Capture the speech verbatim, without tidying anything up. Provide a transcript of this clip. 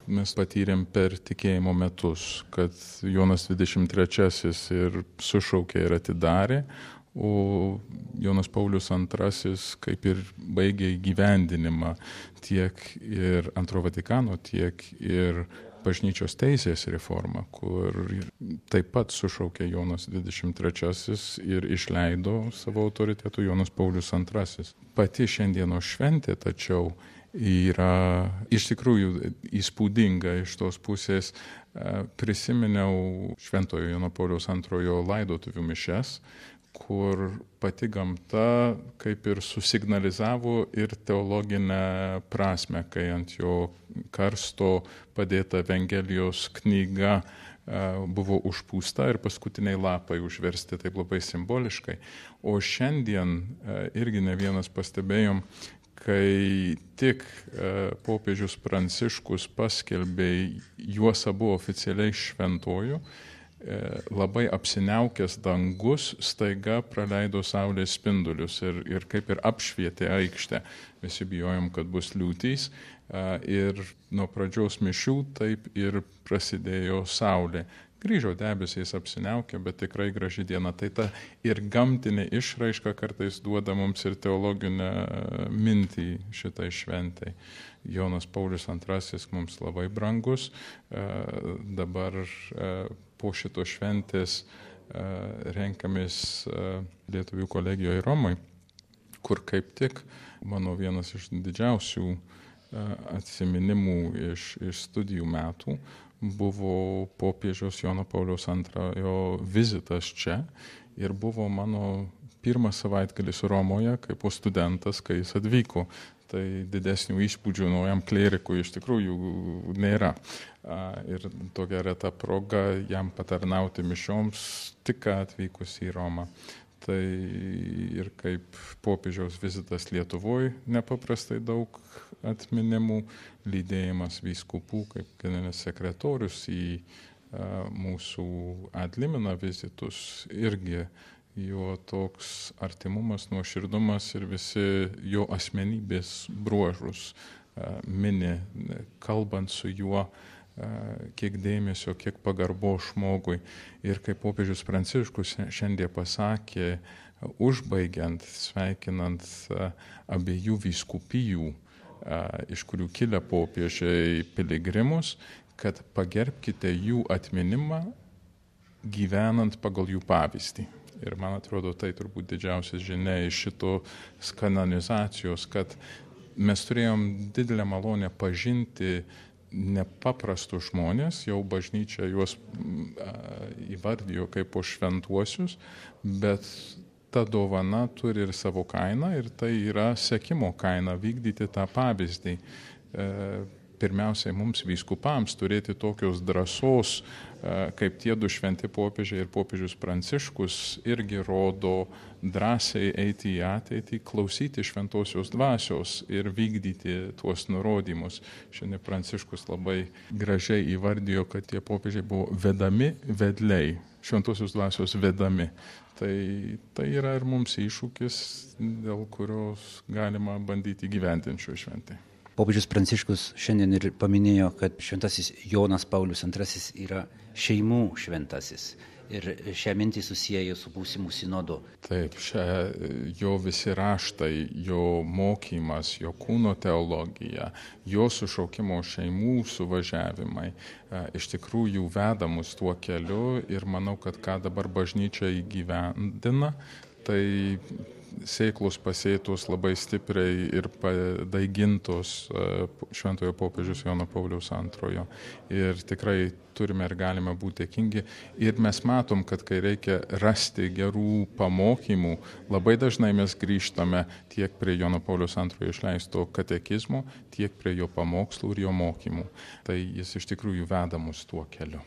mes patyrėm per tikėjimo metus, kad Jonas dvidešimt trečiasis ir sušaukė ir atidarė, o Jonas Paulius antrasis kaip ir baigė įgyvendinimą tiek ir Antro Vatikano, tiek ir bažnyčios teisės reformą, kur taip pat sušaukė Jonas dvidešimt trečiasis ir išleido savo autoritetų Jonas Paulius antrasis. Pati šiandienos šventė, tačiau, yra iš tikrųjų įspūdinga iš tos pusės. Prisiminiau Šventojo Jono Pauliaus antrojo laidotuvių mišias, kur pati gamta kaip ir susignalizavo ir teologinę prasme, kai ant jo karsto padėta Evangelijos knyga buvo užpūsta ir paskutiniai lapai užversti taip labai simboliškai. O šiandien irgi ne vienas pastebėjom, kai tik popiežius Pranciškus paskelbė juos abu oficialiai šventuoju, labai apsiniaukęs dangus staiga praleido saulės spindulius ir, ir kaip ir apšvietė aikštę. Visi bijojom, kad bus liūtys ir nuo pradžios mišių taip ir prasidėjo saulė. Grįžo debesys apsiniaukė, bet tikrai graži diena. Tai ta ir gamtinė išraiška kartais duoda mums ir teologinę mintį šitai šventai. Jonas Paulius antrasis mums labai brangus. Dabar po šito šventės renkamės Lietuvių kolegijoje Romoje, kur kaip tik mano vienas iš didžiausių atsiminimų iš, iš studijų metų buvo popiežiaus Jono Pauliaus antrojo vizitas čia ir buvo mano pirmas savaitgalis Romoje kaip studentas, kai jis atvyko. Tai didesnių įspūdžių naujam klerikui iš tikrųjų nėra. Ir tokia reta proga jam patarnauti mišioms tik atvykus į Romą. Tai ir kaip popiežiaus vizitas Lietuvoje nepaprastai daug atminimų, lydėjimas vyskupų kaip generalinis sekretorius į mūsų ad limina vizitus irgi. Jo toks artimumas, nuoširdumas ir visi jo asmenybės bruožus mini, kalbant su juo, kiek dėmesio, kiek pagarbo žmogui. Ir kaip popiežius Pranciškus šiandien pasakė, užbaigiant, sveikinant abiejų vyskupijų, iš kurių kilę popiežiai piligrimus, kad pagerbkite jų atminimą gyvenant pagal jų pavyzdį. Ir man atrodo, tai turbūt didžiausias žinia iš šitos kanonizacijos, kad mes turėjom didelę malonę pažinti nepaprastus žmonės, jau bažnyčia juos įvardijo kaip po šventuosius, bet ta dovana turi ir savo kainą ir tai yra sekimo kaina vykdyti tą pavyzdį. Pirmiausiai mums vyskupams turėti tokios drąsos, kaip tie du šventi popiežiai ir popiežius Pranciškus irgi rodo drąsiai eiti į ateitį, klausyti šventosios dvasios ir vykdyti tuos nurodymus. Šiandien Pranciškus labai gražiai įvardijo, kad tie popiežiai buvo vedami vedliai, šventosios dvasios vedami. Tai, tai yra ir mums iššūkis, dėl kurios galima bandyti gyventinti šio šventai. Popiežius Pranciškus šiandien ir paminėjo, kad šventasis Jonas Paulius antrasis yra šeimų šventasis. Ir šią mintį susiejo su būsimu sinodu. Taip, šia, jo visi raštai, jo mokymas, jo kūno teologija, jo sušaukimo šeimų suvažiavimai iš tikrųjų veda mus tuo keliu ir manau, kad ką dabar bažnyčia įgyvendina, tai sėklos pasėtos labai stipriai ir padaigintos šventojo popiežiaus Jono Pauliaus antrojo. Ir tikrai turime ir galime būti dėkingi. Ir mes matom, kad kai reikia rasti gerų pamokymų, labai dažnai mes grįžtame tiek prie Jono Pauliaus antrojo išleisto katekizmo, tiek prie jo pamokslų ir jo mokymų. Tai jis iš tikrųjų veda mus tuo keliu.